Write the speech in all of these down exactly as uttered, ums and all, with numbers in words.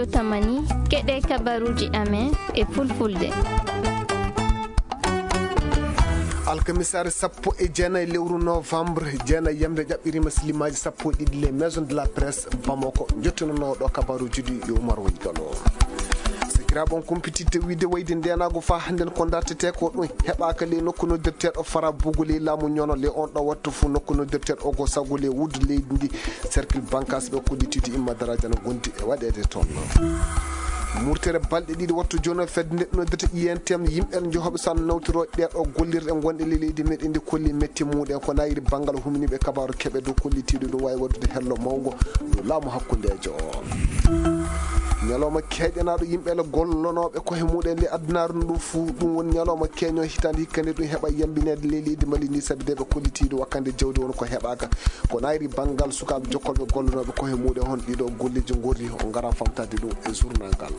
Tamani, keɗe kabaruuji amen e fulfulde. Alkamisaare sappo e jeenayi lewru novembre, jeenayi yamre jaɓɓiriima silimaaji sappo e ɗiɗi, les maisons de la presse Bamako, njottinanooɗo kabaruuji ɗi yo Umar Woni Galo. Sakiraaɓe, on kumpititte wiyde wayde ndeenaagu faa hannden ko dartetee ko ɗum heɓaaka ley nokku noddirteeɗo Farabugu ley laamu ñono. Ley on ɗo wattu fuu nokku noddirteeɗo Ogo Sagu ley wuddu leydi ndi, cercle Bankas ɓe kollitiiɗo Imma Daraaji ana ngondi e waɗeede toon. Murtere balɗe ɗiɗi wattu jooni o fedde nde noddirta I N T M, yimɓe njohoɓe so ana nawtiro ɗee ɗo gollirɗe gonɗe ley leydi meɗen ndi kolli metti muɗen ko nayiri banngal humniiɓe kabaaru keɓe dow kollitiiɗo ɗum waawi waɗude hello mawngo dow laamu hakkundeejo o. Ñalawma keeƴanaaɗo yimɓe le gollonooɓe koye muɗen le adunaaru ndu fuu, ɗum woni ñalawma keeño hitaande hikka nde ɗum heɓa yambineede ley leydi Mali ndi, sabi de ɓe kollitiiɗo wakkande jawdi won ko heɓaaka. Ko nayri banngal sukaaɓe jokkolɓe gollonooɓe koye muɗen hon ɗiɗo golleeji ngorri, o ngara famtaade ɗum e journal ngal.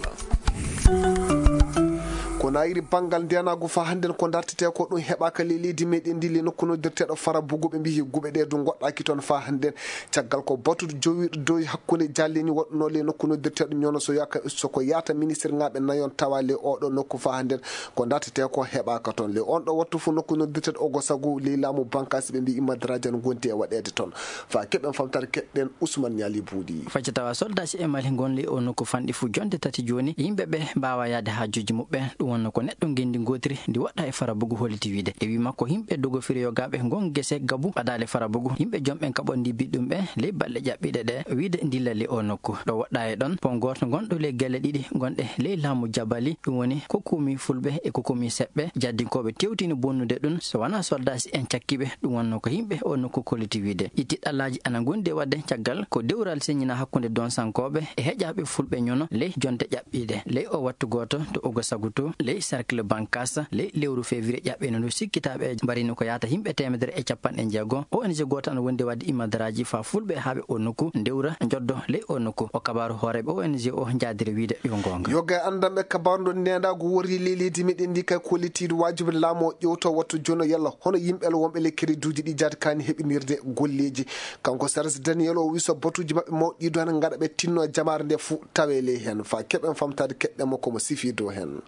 Ko nayri banngal ndeenaagu faa hannden ko dartetee ko ɗum heɓaaka ley leydi meɗen ndi, le nokku noddirteeɗo Farabugu ɓe mbiyi guɓe ɗe du goɗɗaaki toon faa hannden. Caggal ko batuɗo jowirɗo dow hakkunde jallini waɗunoo le nokku noddirteeɗo ñono so yaka-, so ko yaata ministre ŋaaɓe nayon tawa le oɗo nokku faa hannden ko dartetee ko heɓaaka toon. Le on ɗo wattu fof nokku noddirteeɗo Ogo Sagu ley laamu Bankaasi ɓe mbi Imma Daraaji ana gondi e waɗeede toon. Faa keɓen famtaare keɗɗen Ousmane Ñaali Buuɗi. Facce tawa soldaaji e Mali ngon ley o nokku fanɗi fuu jonde tati jooni, yimɓe ɓe mbaawa yahde haajuuji muɓɓen. Ɗum wonno ko neɗɗo ngenndi ngootiri ndi woɗɗa e Farabugu holliti wiide. E wii makko, yimɓe Dogo Firiyoogaaɓe ngon gese Gabu ɓadaale Farabugu, yimɓe jom ɓen kaɓondi biɗɗum ɓe ley balɗe ƴaɓɓiiɗe ɗe wiide ndilla ley o nokku. Ɗo woɗɗa e ɗon pon gooto ngonɗo ley gelle ɗiɗi gonɗe ley laamu Jabali, ɗum woni Kokumi Fulɓe e Kokumi Seɓɓe. Jaddinkooɓe tewtini bonnude ɗum, so wanaa soldaaji en cakkiiɓe, ɗum wonno ko yimɓe o nokku kolliti wiide. Ɗi tiɗɗallaaji ana ngondi e waɗde caggal ko dewral seññinaa hakkunde donsankooɓe e heƴaaɓe Fulɓe ñono ley jonte ƴaɓɓiiɗe. Ley o wattu gooto to Ogo Sagu to ley cercle Bankas, ley lewru février ƴaɓɓiino ndu, sikkitaaɓe mbarini ko yahata yimɓe teemedere e capanɗe jeego. O N G gooto ana wondi waɗde Imma Daraaji faa Fulɓe haaɓe o nokku, ndewra, njoddo ley o nokku. O kabaaru hooreeɓe O N G o njaadiri wiide yo goonga. Yoga e anndam e kabaaru ndo neenaagu worri ley leydi meɗen ndi kay kollitiiɗo waajibi laamu o ƴeewto wattu jono yalla hono yimɓe wonɓe ley kereduuji ɗi jaati kaani heɓinirde golleeji. Kanko Serge Daniel o wii so batuuji maɓɓe mawɗi ɗiɗo ana ngaɗa ɓe tinno jamaare nde fuu tawe ley heen. Faa keɓen famtaade keɗɗe makko mo sifii dow heen.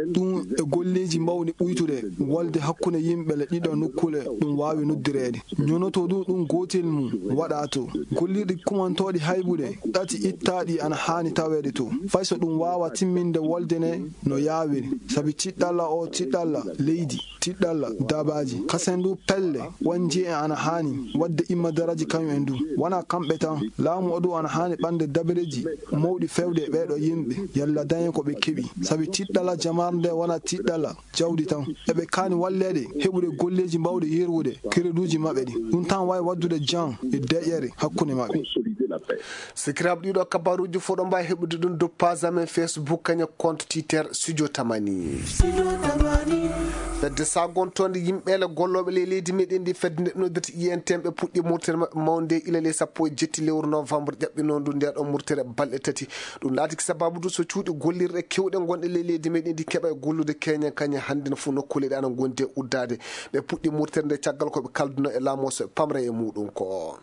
Ɗum e golleeji mawɗi ɓuytude wolde hakkunde yimɓe le ɗiɗo nokkuule ɗum waawi noddireede. Ñonoto ɗum, ɗum gootel mum waɗa to. Gollirɗi kumantooɗi haybude ɗati ittaaɗi ana haani taweede to. Fay so ɗum waawa timminde wolde ne no yaawiri. Sabi tiɗɗalla o tiɗɗalla leydi, tiɗɗalla dabaaji. Kasen du pelle won jeeɗi ana haani waɗde Imma Daraaji kañum en du. Wona kamɓe tan. Laamu o du ana haani ɓande dabareeji mawɗi fewde e ɓeeɗo yimɓe. Yalla dañen ko ɓe keɓi. Sabi tiɗɗalla jamaare nde wona tiɗɗalla jawdi tan. Eɓe kaani walleede heɓude golleeji mbaawɗi yerwude kereduuji maɓɓe ɗi. Ɗum tan waawi waɗdude jam e deƴƴere hakkunde maɓɓe. Sikiraaɓe, ɗiɗo kabaruuji fof ɗo mbaawi heɓude ɗum dow page amen Facebook, kañum compte Twitter Studio Tamani. Fedde sagontonde yimɓe le gollooɓe ley leydi meɗen ndi, fedde nde noddirta I N T M, ɓe puɗɗi murtere maɓɓe mawnde ila le sappo e jetti lewru novembre ƴaɓɓinoo ndu, nde ɗo murtere balɗe tati. Ɗum laatiki sababu du so cuuɗi gollirɗe kewɗe gonɗe ley leydi meɗen ndi keɓa e gollude keñen kañe hannden fof nokkuule ɗe ana ngondi e uddaade. Ɓe puɗɗi murtere nde caggal ko ɓe kalduno e laamu o so ɓe pamra e muɗum ko.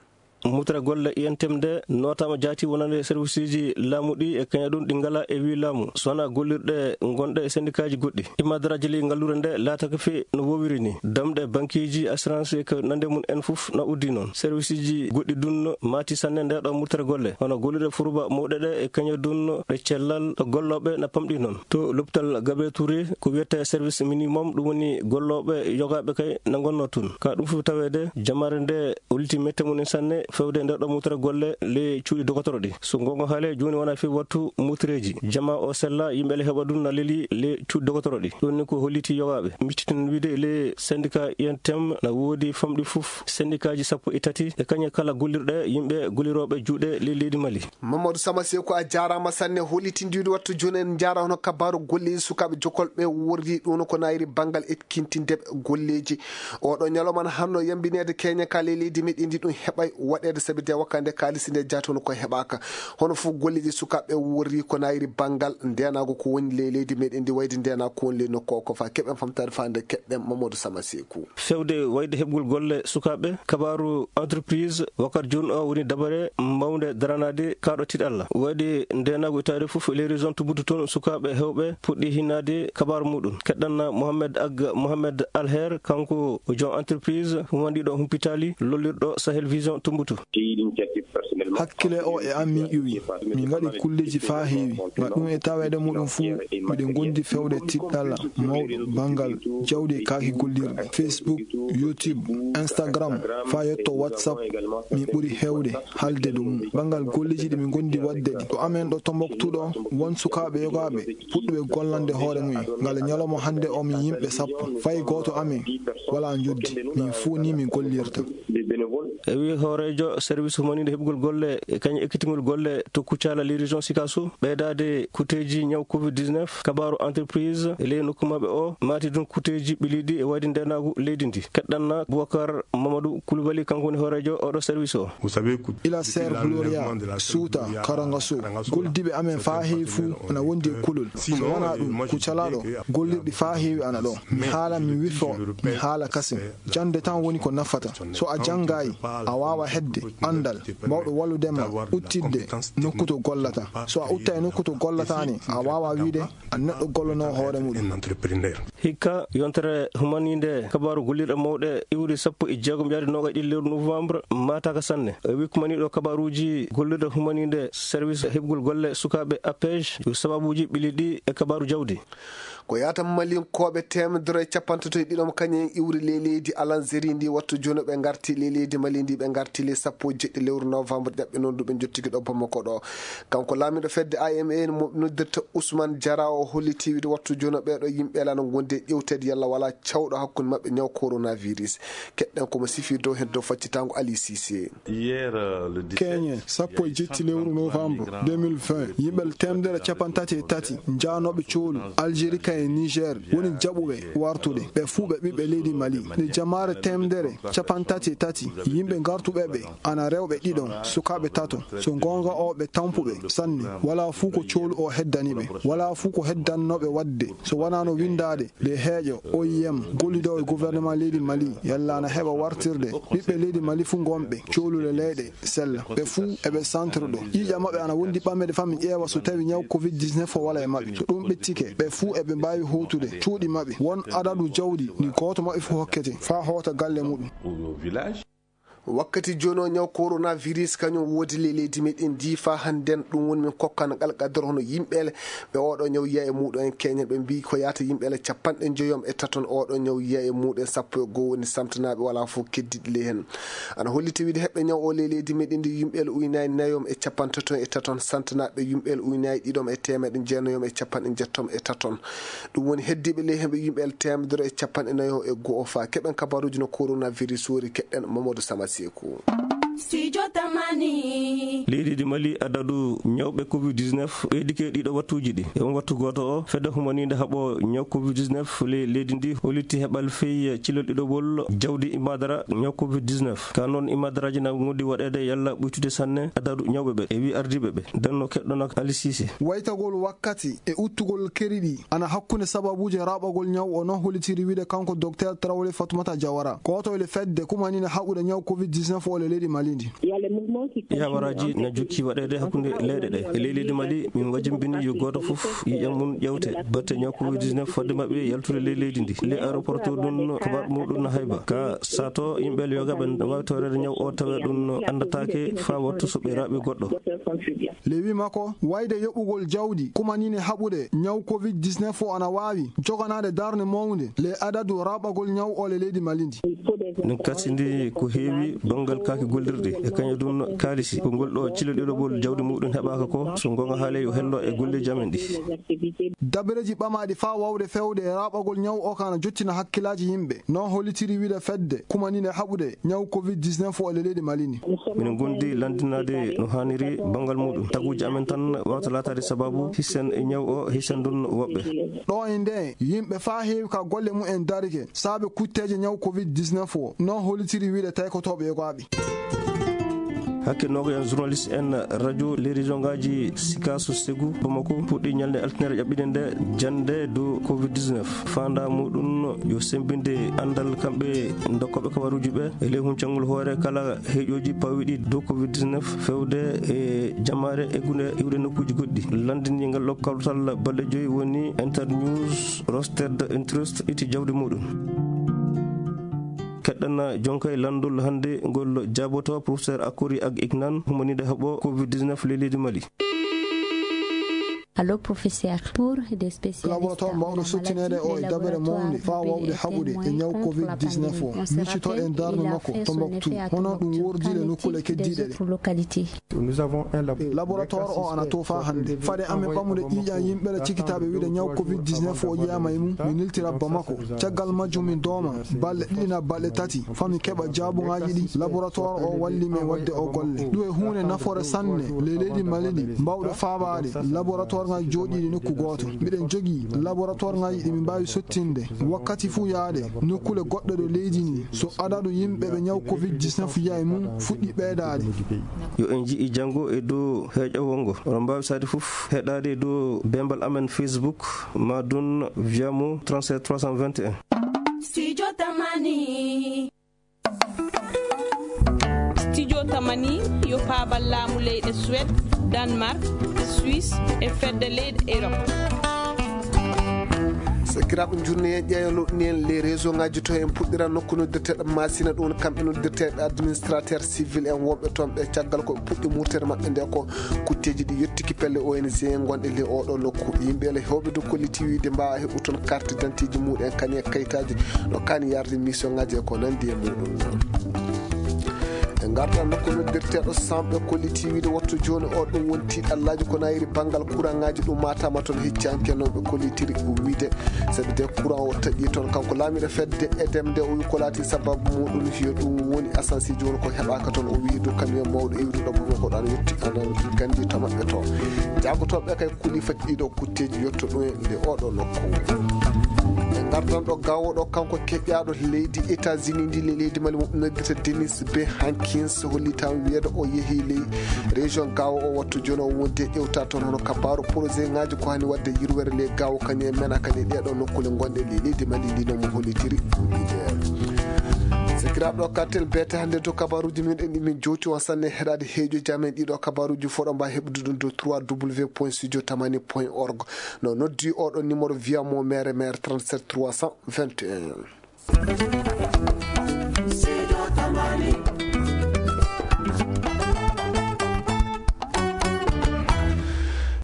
Murtere golle I N T M nde nootaama jaati wonande serviceeji laamu ɗi e kañe ɗum ɗi ngalaa e wii laamu, so wonaa gollirɗe gonɗe e sendikaaji goɗɗi. Imma Daraaji ley ngalluure nde laatake fii no woowiri ni. Damɗe bankeeji, assurance e ko nande mum en fof na uddi noon. Serviceeji goɗɗi dun maati sanne nde ɗo murtere golle, hono gollirɗe furuba mawɗe ɗe e kañe dun ɗe cellal ɗo gollooɓe na pamɗi noon. To l'hôpital Gabriel Touré, ko wiyetee service minimum, ɗum woni gollooɓe yogaaɓe kay na ngonnoo tun. Ka ɗum fof taweede, jamaare nde holliti mette mum en sanne fewde nder ɗo murtere golle le cuuɗi dogotoro ɗi. So goonga haalee, jooni wona fii wattu murtereeji. Jamaa o sella, yimɓe le heɓa ɗum na leli le cuuɗi dogotoro ɗi. Ɗum ni ko holliti yogaaɓe. Miccitin wiide le syndicat I N T M na woodi famɗi fof syndicatji sappo e tati e kañe kala gollirɗe yimɓe gollirooɓe juuɗe le leydi Mali. Mamadou Sama Seku, a jaaraama sanne hollitindiiɗo wattu jooni. En njaara hono kabaaru golleeji sukaaɓe jokolɓe worri ɗum ko nayri banngal ekkintindeɓe golleeji. Oɗo ñalawma na hanno yambineede keñe ka ley leydi meɗen ndi ɗum heɓay waɗ ɗeede sabi de wakka nde kaalisi nde jaati hono koye heɓaaka. Hono fof golleeji sukaaɓe worri ko naayiri banngal ndeenaagu ko woni ley leydi meɗen ndi wayde ndeenaagu ko woni ley nokku o ko faa keɓen famtaade faa nde keɓɗen Mamadou Sama Seeku. Fewde wayde heɓgol golle sukaaɓe, kabaaru entreprise wakkati jooni o woni dabare mawnde daranaade kaaɗo tiiɗalla. Wayde ndeenaagu itaade fof e les régions Tubutu toon sukaaɓe heewɓe puɗɗi hinnaade kabaaru muɗum. Keɗɗanna Mohamed Ag Mohamed Alher, kanko joom entreprise humandiɗo humpitaali lollirɗo Sahel Vision Tubutu. Hakkile o e am min ƴuwi. Min ngaɗi kulleeji faa heewi. Ngal ɗum e taweede muɗum fuu, miɗen ngondi fewde tiiɗalla mawɗo banngal jawdi e kaaki gollirɗi. Facebook, YouTube, Instagram, faa yetto WhatsApp, min ɓuri heewde haalde dow mum. Banngal golleeji ɗi min ngondi waɗde ɗi. Ɗo amen ɗo Tombouctou ɗo, won sukaaɓe yogaaɓe puɗɗuɓe gollande hoore mum en. Ngal ñalawma hannde o min yimɓe sappo. Fay gooto amen walaa njoddi. Min fuu ni min gollirta. E wi hooreejo service humaniiɗo heɓgol golle e kañum ekkitingol golle to Kucala, les régions Sikasso, ɓeydaade kuteeji ñaw covid dix-neuf, kabaaru entreprise e ley nokku maɓɓe o, maati ɗum kuteeji ɓiliiɗi e wayde ndeenaagu leydi ndi. Keɗɗanna Boubacar Mamadou Koulibaly, kanko woni hooreejo oɗo service o. Ila Ser Gloria, Suuta, Karangaso, goldiiɓe amen faa heewi fuu ana wondi e kulol. So wanaa ɗum, Kucala ɗo, gollirɗi faa heewi ana ɗo. Mi haala, mi wifo, mi haala kasen. Jannde tan woni ko nafata. So a janngaay, a waawa heɓde anndal baawɗo wallude ma uttitde nokku to gollata. So a uttaay nokku to gollata ne, a waawa wiide a neɗɗo gollanoo hoore muɗum. Hikka yontere humaniinde kabaaru gollirɗe mawɗe iwri sappo e jeegom yaade noogaas ɗiɗi lewru novembre maataaka sanne. E wi kumaniiɗo kabaaruuji gollirɗe humaniinde service heɓgol golle sukaaɓe APEJ, sababuuji ɓili ɗi e kabaaru jawdi. Ko yaata Malinkooɓe teemedere e cappantato e ɗiɗo mo kañum en iwri ley leydi Alanzeri ndi wattu jooni ɓe ngarti ley leydi Mali ndi, ɓe ngarti ley sappo e jeɗɗi lewru novembre ƴaɓɓe noon du ɓe njottiki ɗo Bamako ɗo. Kanko laamiiɗo fedde A M A mo noddirta Ousmane Diarra o holliti wiide wattu jooni ɓee ɗo yimɓe lana ngondi e ƴewteede yalla walaa cawɗo hakkunde maɓɓe ñaw coronavirus. Keɗɗen ko mo sifi dow heen dow faccitaango Ali Cissé. Keñe sappo e jetti lewru novembre deux mille vingt, yimɓe teemedere cappantato e tati njaanooɓe coolu Algérie ka e Niger woni jaɓuɓe wartude. Ɓe fuu ɓe ɓiɓɓe leydi Mali. Nde jamaare teemedere cappantato e tati yimɓe gartuɓe ɓe ana rewɓe ɗiɗon, sukaaɓe tato. So goonga o ɓe tampuɓe sanne. Walaa fuu ko coolu o heddani ɓe. Walaa fuu ko heddannooɓe waɗde so wanaa no winndaade nde heeƴo O I M gollidoowo e gouvernement leydi Mali yalla ana heɓa wartirde ɓiɓɓe leydi Mali fuu ngonɓe coolule leyɗe sella. Ɓe fuu eɓe centre ɗo. Ƴiiƴam maɓɓe ana wondi ɓamede faa min ƴeewa so tawi ñaw covid dix-neuf o wala e maɓɓe. So ɗum ɓettike, ɓe fuu eɓe mbaawi hootude cuuɗi maɓɓe. Won adadu jawdi ndi gooto maɓɓe fuu hokkete faa hoota galle muɗum. Wakkati jooni o ñaw coronavirus kañum woodi ley leydi meɗen ndi faa hannden ɗum woni min kokkana ngal qadar hono yimɓeele ɓe oɗo ñaw yiya e muɗum en keñen ɓe mbiyi ko yaata yimɓeele capanɗe njoyom e taton oɗo ñaw yiya e muɗum sappo e goo woni santanaaɓe walaa fof keddiɗi ley heen. Ana holliti wiide heɓɓe ñaw o ley leydi meɗen ndi yimɓeele uynayi nayom e capantato e taton santanaaɓe yimɓeele uynayi ɗiɗom e teemeɗe jeenayom e capanɗe jettom e taton. Ɗum woni heddiiɓe ley heen ɓe yimɓeele teemedere e capanɗe nayo e goo o faa keɓen kabaruuji no coronavirus wori keɗɗen Mamadou Sama Seeku. Studio Tamani. Leydi Mali adadu ñawɓe covid dix-neuf ɓeydike ɗiɗo wattuuji ɗi. E on wattu gooto o, fedde humaniinde haɓo ñaw covid dix-neuf ley leydi ndi holliti heɓal fey cilol ɗiɗoɓol jawdi imadara ñaw covid dix-neuf. Ka noon imadaraaji na ngondi waɗeede yalla ɓuytude sanne adadu ñawɓe ɓe. E wi ardiiɓe ɓe. Denno keɗɗo nak Ali Cissé. Waytagol wakkati e uttugol keri ɗi ana hakkunde sababuuje raɓɓagol ñaw o, no hollitiri wiide kanko Docteur Traoré Fatoumata Diawara, gooto e le fedde kumanine haɓude ñaw covid dix-neuf o le leydi Mali ndi. Yawaraaji na jokki waɗeede hakkunde leyɗe ɗe. E ley leydi Mali, min wajimbini yo gooto fof ƴiiƴam mum ƴeewte batte ñaw covid dix-neuf fodde maɓɓe yaltude ley leydi ndi. Ley aéroport to ɗum no kabar muɗum na hayba. Ka sato yimɓe yoga ɓe waawi tawreede ñaw o tawe ɗum no anndataake faa wattu so ɓe raɓi goɗɗo. Lewi makko, wayde yoɓugol jawdi kumanine haɓude ñaw covid dix-neuf o ana waawi joganaade darnde mawnde le adadu raɓɓagol ñaw o le leydi Mali ndi. Min kasidi ko heewi banngal kaaki gollirɗi e kañum ɗum kaalisi. Ko ngol ɗo cilo ɗiɗoɓol jawdi muɗum heɓaaka ko, so ngonga haaley yo hello e golleeji amen ɗi. Dabareeji ɓamaaɗi faa waawde fewde e raɓɓagol ñaw o kana jottina hakkilaaji yimɓe. No hollitiri wiide fedde kumanine haɓude ñaw covid dix-neuf o le leydi Mali ndi. Min ngondi lanndinaade no haaniri banngal muɗum. Taguuji amen tan waawta laataade sababu hisen e ñaw o, hisen ɗum woɓɓe. Ɗo e nde yimɓe faa heewi ka golle mum en darike saabe kutteeje ñaw covid dix-neuf o, no hollitiri wiide taykotooɓe yogaaɓe. Hakke nogayan journaliste en radio les région ngaji Sikasso, Ségou, Bamako puɗɗi ñalnde altine ƴaɓɓiɗe nde jannde dow covid dix-neuf. Fanda muɗum yo sembinde anndal kamɓe dokkoɓe kabaruji ɓe e ley huncangol hoore kala heeƴoji pawiɗi dow covid dix-neuf fewde e jamaare e gune iwde nokkuji goɗɗi. Lanndini ngal ɗo kawtal balɗe joyi woni Internews Rostered Interest iti jawdi muɗum. Keɗɗana jonka e lanndol hannde ngol jaaboto professeur Akori ak Ignan, humaniiɗo heɓo covid dix-neuf ley leydi Mali. Allo, professeur, pour des spécialistes. Laboratoire mbawɗo sottineede o e dabere mawnde faa wawde haɓude e ñaw covid dix-neuf o. Miccitoɗen darnde makko Tombouctou, hono ɗum wordi le nokkuule keddiiɗe ɗe. Laboratoire o ana toofa hannde. Fade amen ɓamude ƴiiƴan yimɓe ɗe cikitaaɓe wiide ñaw covid dix-neuf o yiyaama e mum, mi niltira Bamako. Caggal majjum min dooma balɗe ɗiɗi na balɗe tati faa mi keɓa jaabuŋaaji ɗi. Laboratoire o walli min waɗde o golle. Ɗum e huunde nafoore sanne ley leydi Mali ndi, mbawɗo faabaade laboratoire ŋaaji jooɗiiɗi nokku gooto. Miɗen jogii laboratoire ŋaaji ɗi min mbaawi sottinde wakkati fuu yaade nokkuule goɗɗe ɗo leydi ndi. So adadu yimɓe ɓe ñaw covid dix-neuf yiya e mum fuɗɗi ɓeydaade. Yo en nji'i janngo e dow heeƴa wonngo. Oɗon mbaawi sahaaji fof heɗaade e dow bembal amen Facebook, Madoun Viamo trente-sept trois cent vingt et un. Studio Tamani. Studio Tamani yo paabal laamu leyɗe Suède, Danemark, Suisse e fedde leyɗe Europe. Sakiraaɓe, njurne en ƴeewa loɗɗini en les réseau ngaji to en puɗɗira nokku noddirteeɗo Masina, ɗum kamɓe noddirteeɓe administrateur civil en wonɓe toon ɓe, caggal ko ɓe puɗɗi murtere maɓɓe nde ko kutteeji ɗi yettiki pelle O N G gonɗe le oɗo nokku. Yimɓe le hewɓe dow kolliti wiide mbaawa heɓu toon carte d'identité ji muɗum en kani e kayitaaji no kani yarde mission ngaji e ko nandi e muɗum. En ngarta nokku noddirteeɗo Samɓe kolliti wiide wattu jooni o ɗum woni tiiɗallaaji ko nayiri banngal courant ngaji ɗum matama toon hecci hanke no ɓe kollitiri wiide. Sabi de courant o taƴi toon kanko laamiɗo fedde edem nde o wi ko laati sababu muɗum yo ɗum woni asansi jooni ko heɓaka toon o wi dow camion mawɗo iwruɗo Bamako ɗo ana yetti ana gandi to maɓɓe to. Jaagotoɓe kay kuli fati ɗiɗo kutteeji yotto ɗum e nde oɗo nokku. En ngartan ɗo gawo ɗo kanko keƴaɗo leydi États-Unis ndi le leydi Mali mo noddita Denis B Hankins hollitan wiyeede o yehi ley région gawo o wattu jooni o wonde ƴewta toon hono kabaru projet ngaji ko hani wadde yirwere le gawo kani e mena kani ɗeɗo nokkule gonɗe le leydi Mali ndi no mo hollitiri. Sikiraɓe ɗo kartel bete hannde to kabaruji min ɗen ɗi min jowti on sanne heɗade heejo jamen ɗiɗo kabaruji foɗo mba heɓude ɗum to trois w point studio tamani point org. No noddi oɗo numéro via mo mere mere trente-sept trois cent vingt et un.